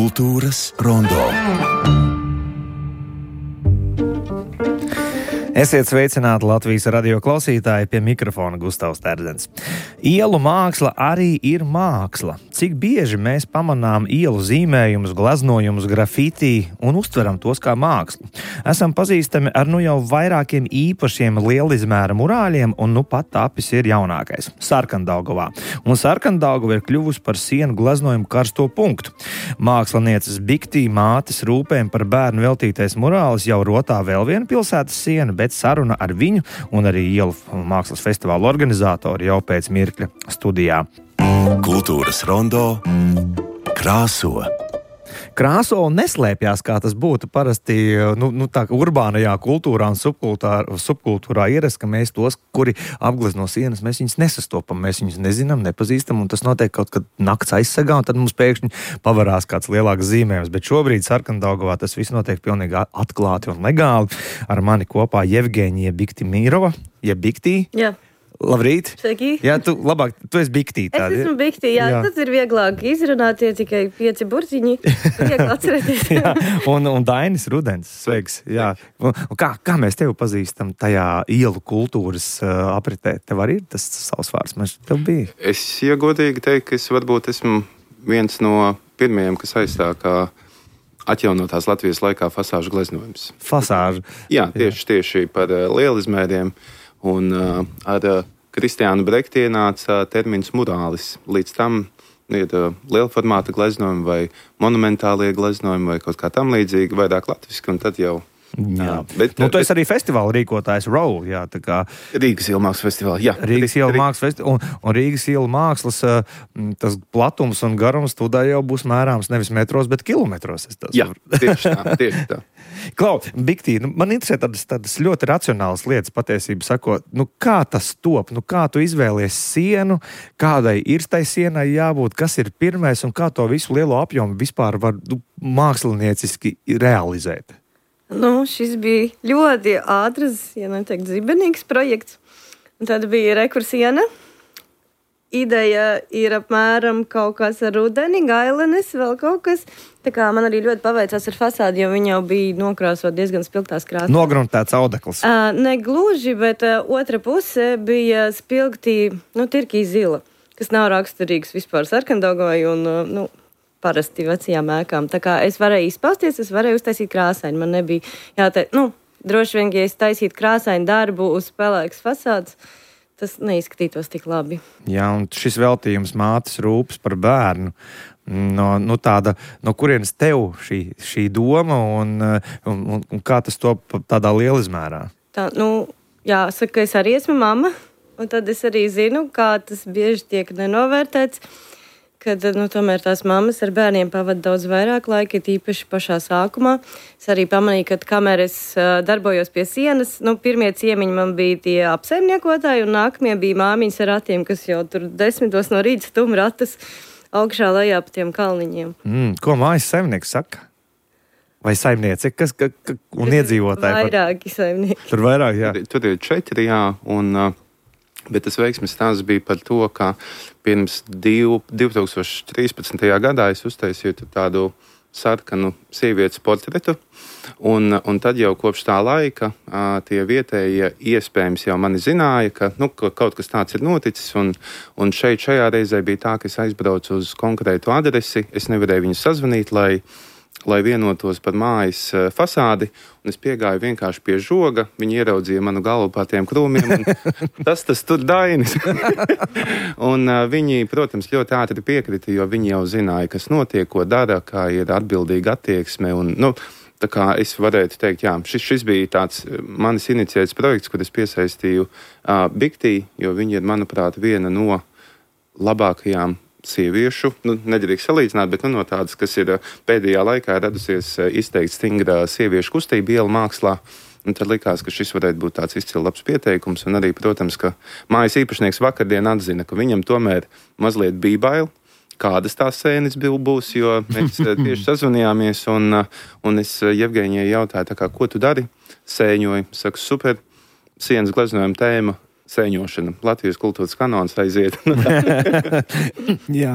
Kultūras rondo. Esiet sveicināti Latvijas radio klausītāji, pie mikrofona Gustavs Terdzens. Ielu māksla arī ir māksla. Cik bieži mēs pamanām ielu zīmējumus, gleznojumus, grafiti un uztveram tos kā mākslu. Esam pazīstami ar jau vairākiem īpašiem lielizmēra murāļiem, un pat tapis ir jaunākais – Sarkandaugavā. Un Sarkandaugava ir kļuvusi par sienu gleznojumu karsto punktu. Mākslinieces Biktī mātes rūpēm par bērnu veltītais murālis jau rotā vēl viena pilsētas siena, bet saruna ar viņu un arī ielu mākslas festivāla organizatori jau pēc mirkļa studijā. Kultūras rondo krāso. Krāso un neslēpjās, kā tas būtu parasti tā urbānajā kultūrā un subkultūrā ierast, ka mēs tos, kuri apglezno sienas, mēs viņus nesastopam, mēs viņus nezinām, nepazīstam, un tas notiek kaut kad nakts aizsegā, un tad mums pēkšņi pavarās kāds lielāks zīmējums. Bet šobrīd Sarkandaugavā tas viss notiek pilnīgi atklāti un legāli. Ar mani kopā Jevgeņija Biktimirova. Biktī? Jā. Labrīt! Sveiki! Jā, tu esi Biktī. Es esmu Biktī, jā. Tas ir vieglāk izrunāt, tie tikai 5 burtiņi. Viegli atcerēties. Jā, un Dainis Rudens, sveiks. Jā. Un kā mēs tevi pazīstam tajā ielu kultūras apritē? Tev arī ir tas savs vārds, man tev bija. Es godīgi teiktu, ka es varbūt esmu viens no pirmajiem, kas aizstāv kā atjaunotās Latvijas laikā fasāžu gleznojums. Fasāžu? Jā, tieši par lielizmēriem. Un ar Kristiānu Brekti ienāca termins murālis. Līdz tam ir lielformāta gleznojumi vai monumentālie gleznojumi vai kaut kā tam līdzīgi, vairāk latviski, un tad jau... Jā. Tu esi arī festivāla rīkotājs ROW, jā, tā kā... Rīgas ielu mākslas festivāla, jā. Rīgas ielu mākslas festivāla, un Rīgas ielu mākslas tas platums un garums tūdā jau būs mērāms nevis metros, bet kilometros. Jā, tieši tā. Klau, Biktī, man interesē tādas ļoti racionālas lietas patiesību sakot, kā tas top, kā tu izvēlies sienu, kādai ir tai sienai jābūt, kas ir pirmais un kā to visu lielo apjomu vispār var mākslinieciski realizēt? Šis bija ļoti ātrs, ja neteikt zibenīgs projekts. Un tad bija rekursiena. Ideja ir apmēram kaut kas ar rudeni, gailenes, vēl kaut kas. Tā kā man arī ļoti paveicās ar fasādi, jo viņa jau bija nokrāsot diezgan spilgtās krāsās. Nogruntēts audekls. Ne gluži, bet otra puse bija spilgtī, tirkī zila, kas nav raksturīgs vispār Sarkandaugavai un, parasti vecajām ēkām. Tā kā es varēju izpausties, es varēju uztaisīt krāsaini. Man nebija jāteikt, droši vien, ja es taisītu krāsaini darbu uz pelēkas fasādes, tas neizskatītos tik labi. Jā, un šis veltījums mātes rūpes par bērnu, no kurienes tev šī doma un kā tas top tādā lielizmērā? Jāsaka, ka es arī esmu mamma, un tad es arī zinu, kā tas bieži tiek nenovērtēts, kad tomēr tās mammas ar bērniem pavada daudz vairāk laika, tīpaši pašā sākumā. Es arī pamanīju, ka kamēr es darbojos pie sienas, pirmie ciemiņi man bija tie apsaimniekotāji, un nākamie bija māmiņas ar ratiem, kas jau tur 10 no rīta stum ratas augšā lejā pa tiem kalniņiem. Ko mājas saimnieks saka? Vai saimniece, un iedzīvotāji? Vairāki saimnieki. Tur vairāk, jā. Tur ir 4, jā, bet tas veiksmes stāsts bija par to, ka pirms 2013. gadā es uztaisīju tādu sarkanu sievietes portretu, un tad jau kopš tā laika tie vietējie iespējams jau mani zināja, ka kaut kas tāds ir noticis, un šajā reizē bija tā, ka es aizbraucu uz konkrētu adresi, es nevarēju viņu sazvanīt, lai vienotos par mājas fasādi, un es piegāju vienkārši pie žoga, viņi ieraudzīja manu galvu pār tiem krūmiem, un tas tur Dainis. Un viņi, protams, ļoti ātri piekrita, jo viņi jau zināja, kas notiek, ko dara, kā ir atbildīga attieksme, un, tā kā es varētu teikt, jā, šis bija tāds manis inicijēts projekts, kur es piesaistīju Biktī, jo viņi ir, manuprāt, viena no labākajām sieviešu, nedrīkst salīdzināt, bet no tādas, kas ir pēdējā laikā radusies izteikti stingra sieviešu kustība ielu mākslā. Un tad likās, ka šis varētu būt tāds izcils labs pieteikums. Un arī, protams, ka mājas īpašnieks vakardien atzina, ka viņam tomēr mazliet bija bail, kādas tās sēnes būs, jo mēs tieši sazvanījāmies, un es Jevgeņijai jautāju, ko tu dari? Sēņoju, saku, super, sienas gleznojuma tēma, sēņošana. Latvijas kultūras kanons aiziet. Jā,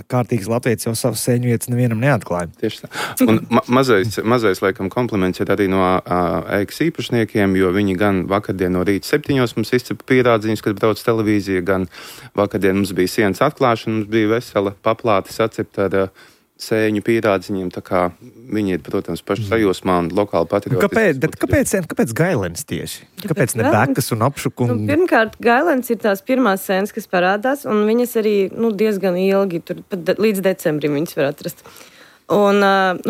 kārtīgs latviečs jau savas sēņu vietas nevienam neatklāja. Tieši tā. Un mazais, laikam, kompliments ir arī no ēkas īpašniekiem, jo viņi gan vakardien no rīta 7 mums izcepa pierādziņus, kad brauc televīzija, gan vakardien mums bija sienas atklāšana, mums bija vesela paplāte sacepta ar sēņu pierādziņiem, tā kā viņi ir, protams, paši sajūsmā un lokāli patriotiski. Kāpēc Gailens tieši? Kāpēc ne Bekas un Apšuk? Pirmkārt, Gailens ir tās pirmās sēnes, kas parādās, un viņas arī diezgan ilgi, tur pat līdz decembrim viņas var atrast. Un,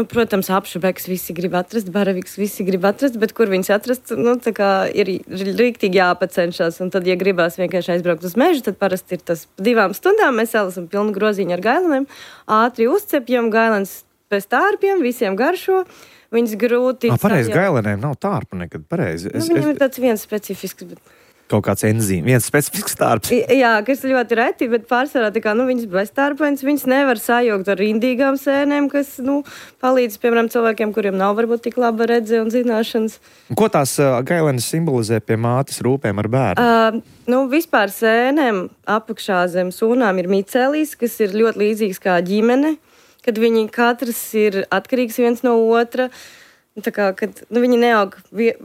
protams, Apšubekas visi grib atrast, Baraviks visi grib atrast, bet kur viņas atrast, tā kā ir rīktīgi jāpacenšas. Un tad, ja gribās vienkārši aizbraukt uz mežu, tad parasti ir tas 2 stundām. Mēs salasam pilnu groziņu ar gaileniem, ātri uzcepjam, gailens bez tārpiem, visiem garšo. Viņas grūti... Pareizi, gaileniem nav tārpu nekad, pareizi. Viņam ir tāds viens specifisks, bet... Kaut kāds enzīms, viens specifisks tārps. Jā, kas ļoti reti, bet pārsvarā tā kā, viņas bez tārpains, viņas nevar sajaukt ar indīgām sēnēm, kas, palīdz, piemēram, cilvēkiem, kuriem nav varbūt tik laba redze un zināšanas. Ko tās gailenes simbolizē pie mātes rūpēm ar bērnu? Vispār sēnēm apakšā zem sūnām ir micēlīs, kas ir ļoti līdzīgs kā ģimene, kad viņi katrs ir atkarīgs viens no otra. Tā kā, kad viņi neaug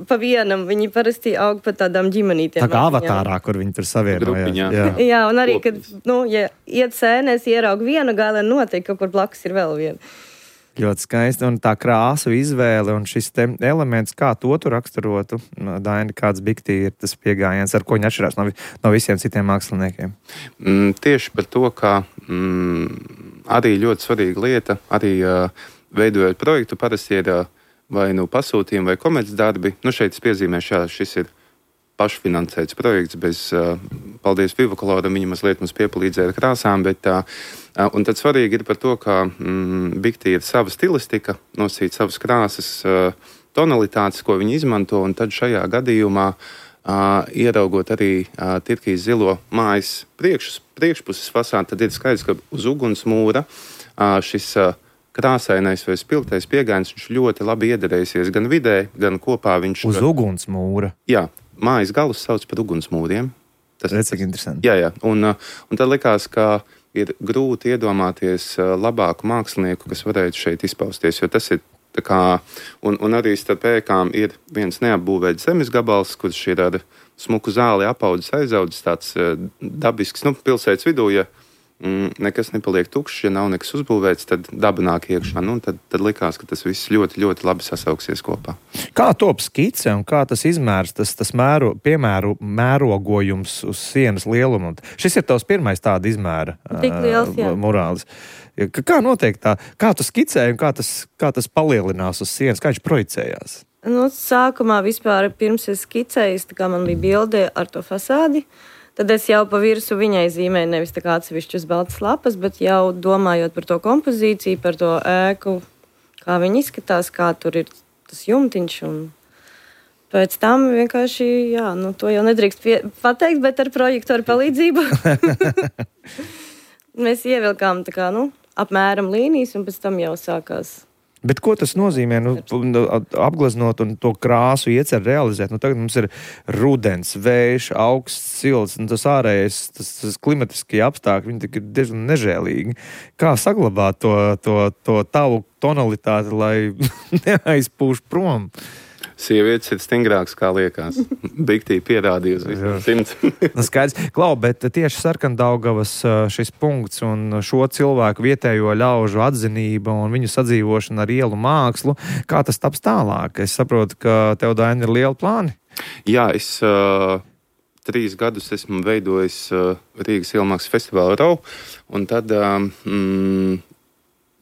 pa vienam, viņi parasti aug pa tādām ģimenītiem. Tā kā avatārā, kur viņi tur savienojās. Jā, un arī, kad, ja iet sēnēs, ieraug vienu gailenu, noteikti kaut kur blakus ir vēl viena. Ļoti skaisti, un tā krāsu izvēle un šis te elements, kā to tu raksturotu, Daini, kāds Biktī ir tas piegājiens, ar ko viņi atšķirās no visiem citiem māksliniekiem? Tieši par to, ka arī ļoti svarīga lieta, arī veidojot projektu, parasti ir vai pasūtījumi vai komercdarbi. Šeit es piezīmēšu, šis ir pašfinansēts projekts, paldies Vivakoloram, viņi mazliet mums piepalīdzēja ar krāsām, un tad svarīgi ir par to, ka Biktī ir sava stilistika, nosīt savas krāsas, tonalitātes, ko viņi izmanto, un tad šajā gadījumā ieraugot arī Tirkijas zilo mājas priekšpuses fasādi, tad ir skaidrs, ka uz ugunsmūra šis krāsainais vai spilgtais piegājiens, viņš ļoti labi iederēsies gan vidē, gan kopā viņš... Uz ugunsmūra? Jā, mājas galus sauc par ugunsmūriem. Tas ir interesanti. Jā, un tad likās, ka ir grūti iedomāties labāku mākslinieku, kas varētu šeit izpausties, jo tas ir tā kā... Un arī starp ēkām ir viens neapbūvēts zemes gabals, kurš ir ar smuku zāli apaudzis, aizaudzis tāds dabisks, pilsētas vidū, ja nekas nepaliek tukšs, ja nav nekas uzbūvēts, tad daba nāk iekšā. Tad likās, ka tas viss ļoti, ļoti labi sasauksies kopā. Kā top skice un kā tas izmērs, tas mērogojums uz sienas lielumu? Šis ir tavs pirmais tāda izmēra murālis. Kā notiek tā? Kā tu skicēji un kā tas palielinās uz sienas? Kā viņš projicējās? Sākumā vispār pirms es skicēju, tā kā man bija bilde ar to fasādi, tad es jau pa virsu viņai zīmēju nevis tā kā atsevišķas baltas lapas, bet jau domājot par to kompozīciju, par to ēku, kā viņi izskatās, kā tur ir tas jumtiņš. Un pēc tam vienkārši, to jau nedrīkst pateikt, bet ar projektoru palīdzību mēs ievilkām tā kā, apmēram līnijas, un pēc tam jau sākās. Bet ko tas nozīmē, apgleznot un to krāsu iecer realizēt? Tagad mums ir rudens, vējš, augsts, silts, un tas ārējais, tas klimatiskie apstākļi, viņi ir diezgan nežēlīgi. Kā saglabāt to tavu tonalitāti, lai neaizpūš prom? Sievietes ir stingrākas, kā liekas. Biktī pierādījusi visam 100. Skaidrs. Klau, bet tieši Sarkandaugavas šis punkts un šo cilvēku vietējo ļaužu atzinība un viņu sadzīvošana ar ielu mākslu, kā tas taps tālāk? Es saprotu, ka tev, Daini, ir lieli plāni. Jā, es 3 gadus esmu veidojis Rīgas ielmākslas festivālu RAU, un tad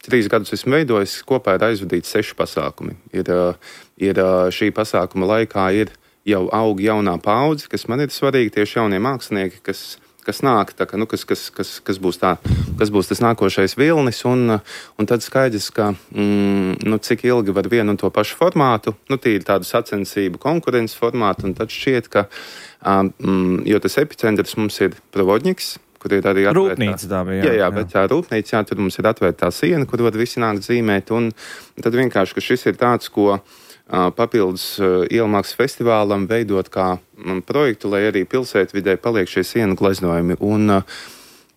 3 gadus esmu veidojis, kopā ir aizvadīts 6 pasākumi. Ir šī pasākuma laikā ir jau aug jaunā paudze, kas man ir svarīgi, tieši jaunie mākslinieki, kas nāk, tā, kas būs tas nākošais vilnis, un tad skaidrs, ka cik ilgi var vienu un to pašu formātu, tīri tādu sacensību konkurences formātu, un tad šķiet, ka, jo tas epicentrs mums ir Provodņiks, kur ir arī rūpnīca tā bija. Jā, bet tā rūpnīca, tur mums ir atvērtā siena, kur var visi nākt zīmēt, un tad vienkārši, ka šis ir tāds, ko papildus Ielmākslas festivālam veidot kā projektu, lai arī pilsētvidē paliek šie sienu gleznojumi. Un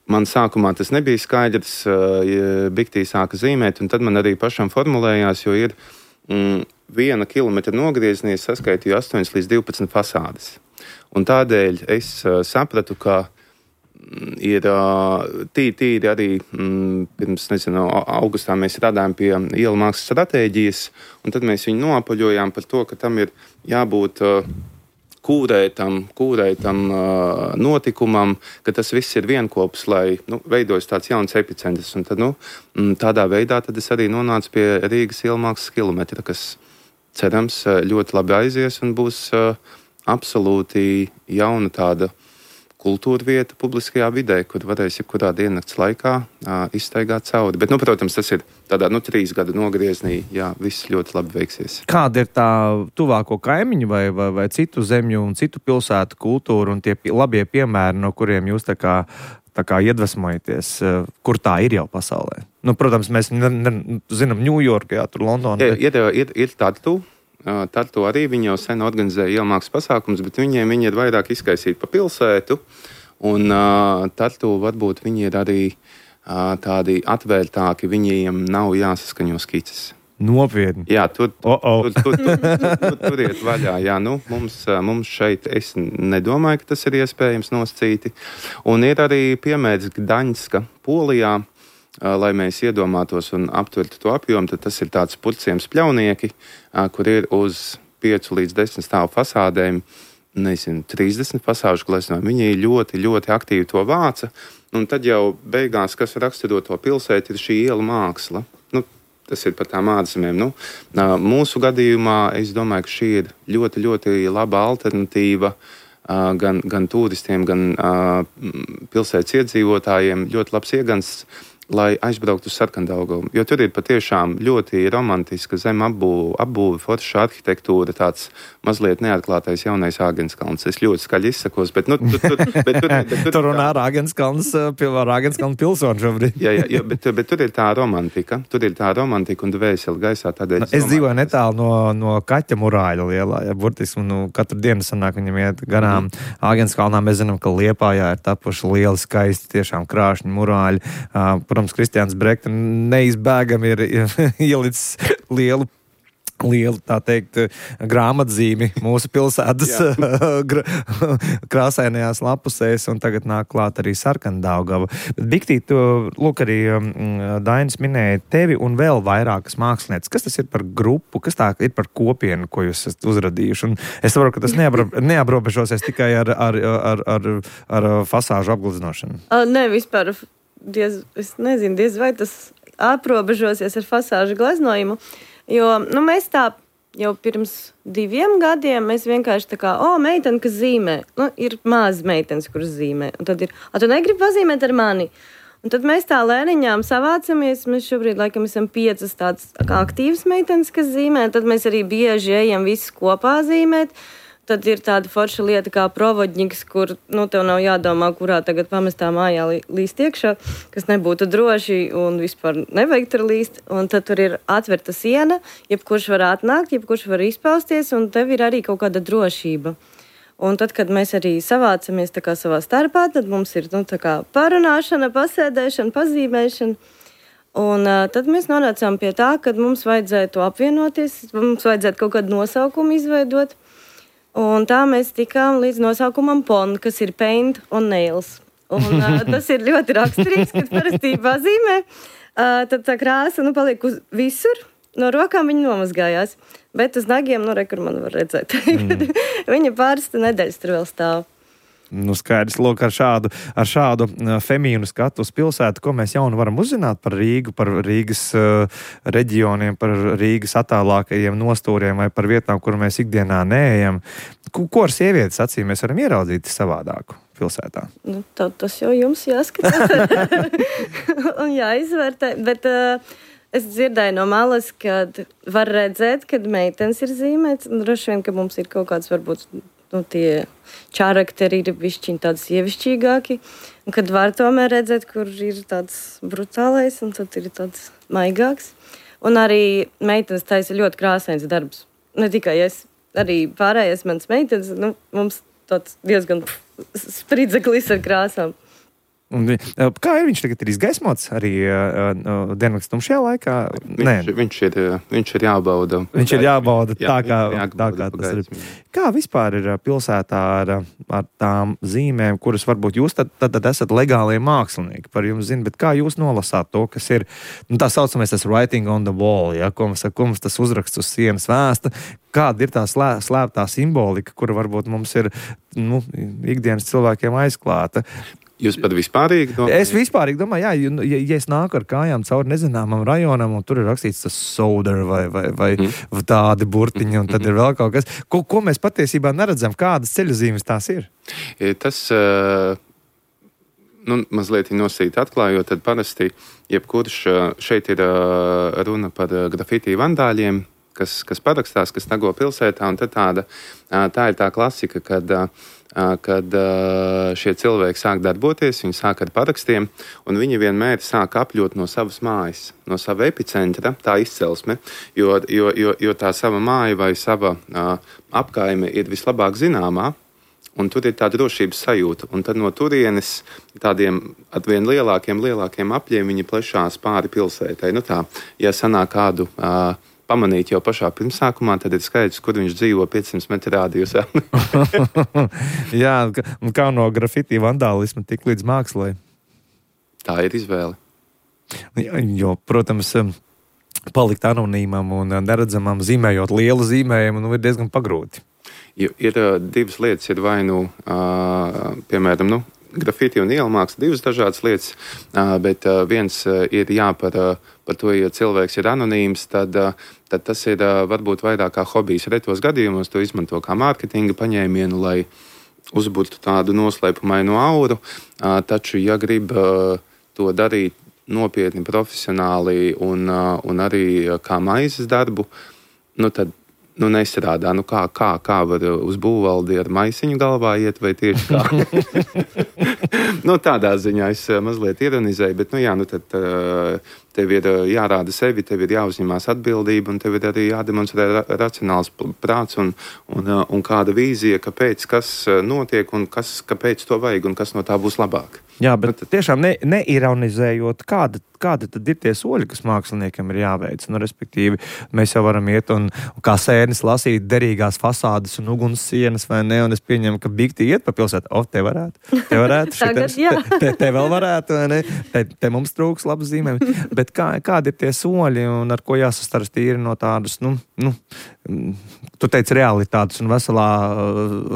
man sākumā tas nebija skaidrs, Biktī sāka zīmēt, un tad man arī pašam formulējās, jo ir 1 kilometra nogriezienī saskaitīju 8 līdz 12 fasādes. Un tādēļ es sapratu, ka ir tīri arī pirms, augustā mēs radām pie Ielmākslas stratēģijas, un tad mēs viņu noapaļojām par to, ka tam ir jābūt kūrētam notikumam, ka tas viss ir vienkopus, lai veidojas tāds jauns epicentrs. Un tad, tādā veidā tad es arī nonācu pie Rīgas Ielmākslas kilometra, kas cerams ļoti labi aizies un būs absolūti jauna tāda kultūra vieta publiskajā vidē, kur varēs jebkurā diennakts laikā izstaigāt cauri. Bet, protams, tas ir tādā 3 gadu nogriezienī, jā, viss ļoti labi veiksies. Kāda ir tā tuvāko kaimiņu vai citu zemju un citu pilsētu kultūra un tie labie piemēri, no kuriem jūs tā kā iedvesmojaties, kur tā ir jau pasaulē? Protams, mēs zinām Ņujorku, jā, tur Londonu. Ir Tartu. Tartu arī viņi jau sen organizēja Ielmākslas pasākums, bet viņi ir vairāk izkaisīti pa pilsētu. Un Tartu varbūt viņi ir arī tādi atvērtāki, viņiem nav jāsaskaņo skices. Nopietni. Jā, tur iet vaļā. Jā, mums šeit es nedomāju, ka tas ir iespējams nosacīti. Un ir arī piemērs Gdaņska, Polijā, lai mēs iedomātos un aptvertu to apjomu, tad tas ir tāds purciems pļaunieki, kur ir uz 5 līdz 10 stāvu fasādēm, 30 fasāžu gleznojumi. Viņi ļoti, ļoti aktīvi to vāca, un tad jau beigās, kas raksturo to pilsētu, ir šī iela māksla. Tas ir par tām ārzemēm. Mūsu gadījumā es domāju, ka šī ir ļoti, ļoti laba alternatīva gan turistiem, gan pilsētas iedzīvotājiem. Ļoti labs iegansts, lai aizbrauktu uz Sarkandaugavu. Jo tur ir patiešām ļoti romantiska zemapbūve, forša arhitektūra, tāds mazliet neatklātais jaunais Āgenskalns. Es ļoti skaļi izsakos, bet tur runā Āgenskalns pilsoni šobrīd. Jā, bet tur ir tā romantika. Tur ir tā romantika un dvēseli gaisā. Tādēļ es dzīvoju netālu no Kaķa murāļa lielā. Ja, burtiski, katru dienu sanāk viņam iet garām Āgenskalnā. Mēs zinām, ka Liepājā ir tapuši lieli, skaisti, tiešām krāšņi murāļi. Protams, Kristiāns Brekta neizbēgami ir ielicis lielu, tā teikt, grāmatzīmi mūsu pilsētas krāsainajās lapusēs, un tagad nāk klāt arī Sarkandaugava. Bet, Biktī, lūk, arī Dainis minēja tevi un vēl vairākas mākslinieces. Kas tas ir par grupu, kas tā ir par kopienu, ko jūs esat uzradījuši? Un es saprotu, ka tas neaprobežosies tikai ar fasāžu apgleznošanu. Nē, vispār. Es nezinu, diez vai tas aprobežosies ar fasāžu gleznojumu, jo mēs tā jau pirms 2 gadiem mēs vienkārši tā kā, meitene, kas zīmē, ir mazas meitenes, kuras zīmē, un tad ir, tu negribi pazīmēt ar mani? Un tad mēs tā lēniņām savācamies, mēs šobrīd laikam esam 5 tādas aktīvas meitenes, kas zīmē, tad mēs arī bieži ejam visi kopā zīmēt. Tad ir tāda forša lieta kā provodņiks, kur tev nav jādomā, kurā tagad pamestā mājā līst iekšā, kas nebūtu droši un vispār nevajag tur līst. Un tad tur ir atvērta siena, jebkurš var atnākt, jebkurš var izpausties, un tev ir arī kaut kāda drošība. Un tad, kad mēs arī savācamies tā kā savā starpā, tad mums ir tā kā parunāšana, pasēdēšana, pazīmēšana. Un tad mēs nonācām pie tā, ka mums vajadzētu apvienoties, mums vajadzētu kaut kādu nosaukumu izveidot. Un tā mēs tikām līdz nosaukumam PON, kas ir Paint on Nails. Un tas ir ļoti raksturīgs, kad parasti pazīmē. Tad tā krāsa paliek visur, no rokām viņa nomazgājās. Bet uz nagiem, kur man var redzēt. Viņa pāris nedēļas tur vēl stāv. Skaidrs, lūk, ar šādu femīnu skatu uz pilsētu, ko mēs jaunu varam uzzināt par Rīgu, par Rīgas reģioniem, par Rīgas attālākajiem nostūriem vai par vietām, kur mēs ikdienā neejam. Ko ar sievietes acīm mēs varam ieraudzīt savādāku pilsētā? Tas jau jums jāskatās un jāizvērtē, bet es dzirdēju no malas, kad var redzēt, kad meitenes ir zīmēts, un droši vien, ka mums ir kaut kāds varbūt tie čarakteri ir bišķiņi tādi sievišķīgāki, un kad var tomēr redzēt, kur ir tāds brutālais, un tad ir tāds maigāks. Un arī meitenes taisa ļoti krāsains darbs. ne tikai es, arī pārējais mans meitenes, nu, mums tāds diezgan spridzeklis ar krāsām. Un, kā ir viņš tagad ir izgaismots arī diennakts tumšajā laikā? Viņš ir jābauda. Viņš ir jābauda tā, kā tas ir. Kā vispār ir pilsētā ar tām zīmēm, kuras varbūt jūs tad esat legālie mākslinieki par jums zina, bet kā jūs nolasāt to, kas ir, tā saucamais tas writing on the wall, ja, ko mums tas uzraksts uz sienas vēsta, kāda ir tā slēptā simbolika, kura varbūt mums ir, ikdienas cilvēkiem aizklāta. Jūs pat vispārīgi domājat? Es vispārīgi domāju, ja es nāku ar kājām cauri nezināmam rajonam, un tur ir rakstīts tas soda vai tādi burtiņi, un tad ir vēl kaut kas, ko mēs patiesībā neredzam, kādas ceļazīmes tās ir? Tas, mazliet nosīt atklājot, tad parasti, jebkurš šeit ir runa par grafitī vandāļiem, kas parakstās, kas tago pilsētā, un tad tā ir tā klasika, kad šie cilvēki sāk darboties, viņi sāk ar parakstiem, un viņi vienmēr sāk apļot no savas mājas, no sava epicentra, tā izcelsme, jo tā sava māja vai sava apkaime ir vislabāk zināmā, un tur ir tā drošības sajūta, un tad no turienes tādiem atvien lielākiem apļiem viņi plešās pāri pilsētai. Ja sanāk kādu pamanīt jau pašā pirmsākumā, tad ir skaidrs, kur viņš dzīvo 500 metru rādījusā. Jā, un kā no grafitī vandālisma tik līdz mākslai? Tā ir izvēle. Jo, protams, palikt anonīmam un neredzamam zīmējot lielu zīmējumu, ir diezgan pagrūti. Ir divas lietas, ir vai piemēram, grafiti un ielmāksla, divas dažādas lietas, bet viens ir par to, ja cilvēks ir anonīms, tad tas ir varbūt vairāk kā hobijs. Retos gadījumos to izmanto kā mārketinga paņēmienu, lai uzburtu tādu noslēpumainu auru, taču, ja grib to darīt nopietni, profesionāli un arī kā maizes darbu, tad nestrādā. Kā var uz būvvaldi ar maisiņu galvā iet, vai tieši kā? Tādā ziņā es mazliet ironizēju, bet, tad tev ir jārāda sevi, tev ir jāuzņemās atbildība, un tev ir arī jādemonstrē racionāls prāts un kāda vīzija, kāpēc, kas notiek, un kāpēc to vajag, un kas no tā būs labāk. Jā, bet tiešām neironizējot, kādi tad ir tie soļi, kas māksliniekam ir jāveic. Respektīvi, mēs jau varam iet un kā sēnes lasīt derīgās fasādes un uguns sienas, vai ne? Un es pieņemu, ka bikti iet pa pilsētu. Te varētu. Te vēl varētu, vai ne? Te mums trūks labas zīmēm. Bet kādi ir tie soļi un ar ko jāsastaras tīri no tādas, tu teici realitātes un veselā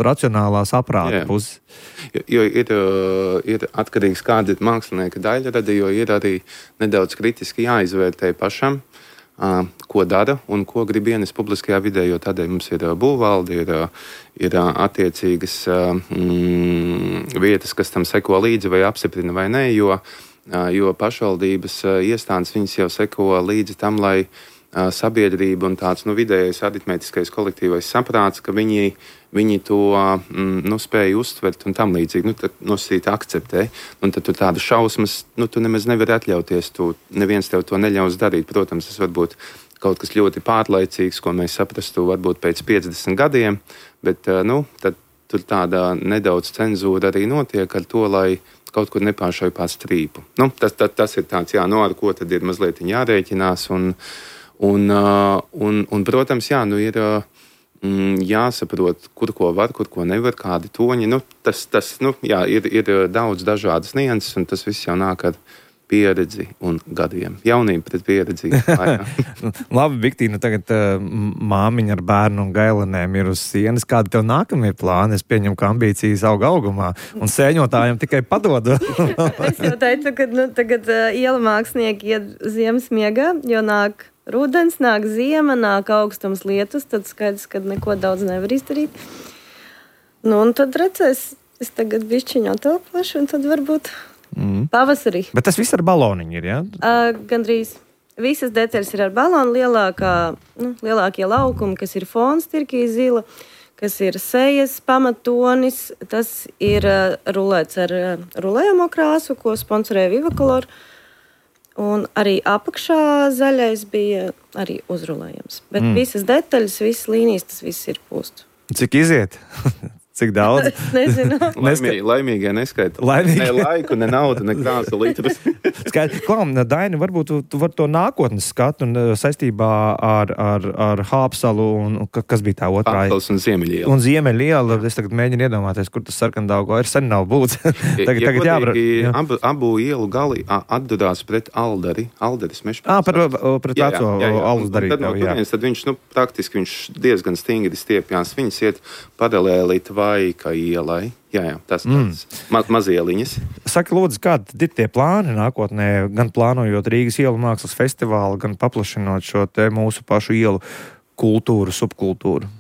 racionālā saprāta puses? Jo ir atkarīgs, kāda ir mākslinieka daļrada, jo ir arī nedaudz kritiski jāizvērtē pašam, ko dara un ko grib ienest publiskajā vidē, jo tādēļ mums ir būvvalde, ir attiecīgas vietas, kas tam seko līdzi vai apstiprina vai nē, jo pašvaldības iestādes viņas jau seko līdzi tam, lai sabiedrība un tāds vidējais aritmētiskais kolektīvais saprāts, ka viņi to spēja uztvert un tam līdzīgi, tad nosīt akceptē. Un tad tu tādu šausmas, tu nemaz nevari atļauties, neviens tev to neļaus darīt. Protams, tas var būt kaut kas ļoti pārlaicīgs, ko mēs saprastu varbūt pēc 50 gadiem, bet tad tur tāda nedaudz cenzūra arī notiek ar to, lai kaut kur nepāršauj pār strīpu. Tas ir tāds, ar ko tad ir mazliet jārēķinās un protams, ir jāsaprot, kur ko var, kur ko nevar, kādi toņi. Ir daudz dažādas nianses, un tas viss jau nāk ar pieredzi un gadiem. Jaunība pret pieredzi. Labi, Viktīna, tagad māmiņa ar bērnu un gailenēm ir uz sienas. Kādi tev nākamie plāni? Es pieņemu, ka ambīcijas aug augumā, un sēņotājiem tikai padod. Es jau teicu, ka tagad iela mākslinieki iet ziemas miegā, jo nāk rudens, nāk ziema, nāk augstums, lietus, tad skaidrs, ka neko daudz nevar izdarīt. Un tad redzēs, es tagad bišķiņu atelpošu, un tad varbūt pavasarī. Bet tas viss ar baloniņu ir, jā? Gandrīz. Visas detaļas ir ar balonu, lielākie laukumi, kas ir fons, tirkīs zila, kas ir sejas pamatonis, tas ir rulēts ar rulējamo krāsu, ko sponsorē Vivacolor. Un arī apakšā zaļais bija arī uzrulējams. Bet visas detaļas, visas līnijas, tas viss ir pūst. Cik iziet? Cik daudz? Es nezinu. Laimīgie neskaita. Ne laiku, ne naudu, ne krāsu litrus. Skaidrs. Klau, Daini, varbūt tu vari to nākotnes skatu un saistībā ar Hāpsalu un kas bija tā otrā? Hāpsals un Ziemeļiela. Un Ziemeļiela. Es tagad mēģinu iedomāties, kur tas Sarkandaugo ir sen nav būts. tagad jā. Abu ielu gali atdurās pret Alderi. Alderis mežs. Pret veco alus darītāju. Tad viņš, praktiski viņš diezgan stingri stiepjās. Viņas iet paralēli Tvaika ielai. Jā, tas mazieliņas. Saka, lūdzu, kādi ir tie plāni nākotnē, gan plānojot Rīgas ielu mākslas festivālu, gan paplašinot šo te mūsu pašu ielu kultūru, subkultūru?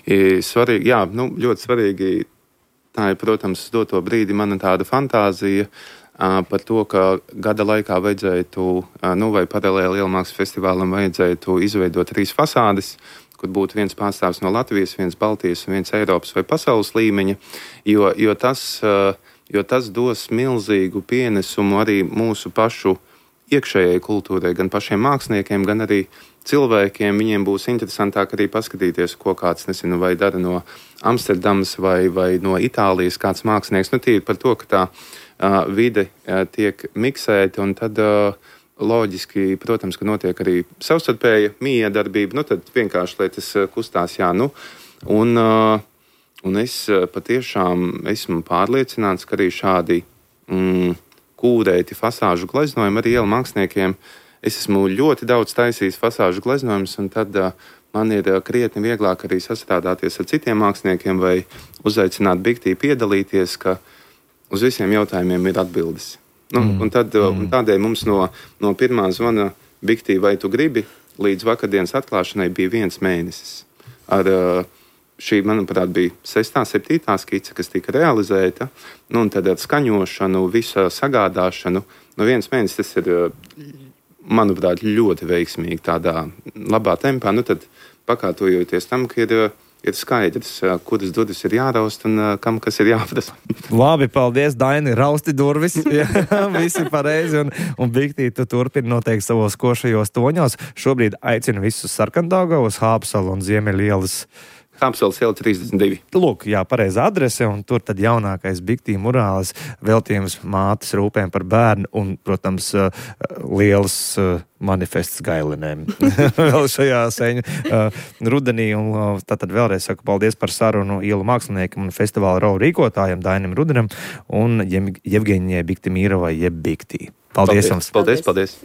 Svarīgi, jā, ļoti svarīgi. Tā ir, protams, doto brīdi mana tāda fantāzija par to, ka gada laikā vajadzētu, vai paralēli ielu mākslas festivālam vajadzētu izveidot 3 fasādes, kur būtu viens pārstāvs no Latvijas, viens Baltijas un viens Eiropas vai pasaules līmeņa, jo tas dos milzīgu pienesumu arī mūsu pašu iekšējai kultūrai, gan pašiem māksliniekiem, gan arī cilvēkiem. Viņiem būs interesantāk arī paskatīties, ko kāds, vai dara no Amsterdamas vai no Itālijas kāds mākslinieks. Tīri par to, ka tā vide tiek miksēta un tad loģiski, protams, ka notiek arī savstarpēja miedarbība, tad vienkārši, lai tas kustās, un es patiešām esmu pārliecināts, ka arī šādi kūrēti fasāžu gleznojumi arī ielu māksliniekiem. Es esmu ļoti daudz taisījis fasāžu gleznojumus, un tad man ir krietni vieglāk arī sastrādāties ar citiem māksliniekiem vai uzaicināt Biktī piedalīties, ka uz visiem jautājumiem ir atbildes. Un tādēļ mums no pirmā zvana Biktī, vai tu gribi, līdz vakardienas atklāšanai bija 1 mēnesis. Ar šī, manuprāt, bija 6., 7. skice, kas tika realizēta, un tad ar skaņošanu, visu sagādāšanu. 1 mēnesis tas ir, manuprāt, ļoti veiksmīgi tādā labā tempā. Tad pakārtojoties tam, ka ir skaidrs, kuras durvis ir jāraust un kam kas ir jāprasa. Labi, paldies, Daini, rausti durvis. Visi pareizi, un Biktī, tu turpini noteikti savos košajos toņos. Šobrīd aicinu visus Sarkandaugavas, Hāpsalu un Ziemeļielas. Hāpsals iela 32. Lūk, jā, pareiza adrese, un tur tad jaunākais Biktī murālis, veltījums mātes rūpēm par bērnu un, protams, lielas manifests gailinēm vēl šajā seņu rudenī. Un tātad vēlreiz saku paldies par sarunu ielu māksliniekam un festivāla rau rīkotājiem Dainim Rudenam un Jevgeņijai Biktimīrovai jeb Biktī. Paldies jums! Paldies!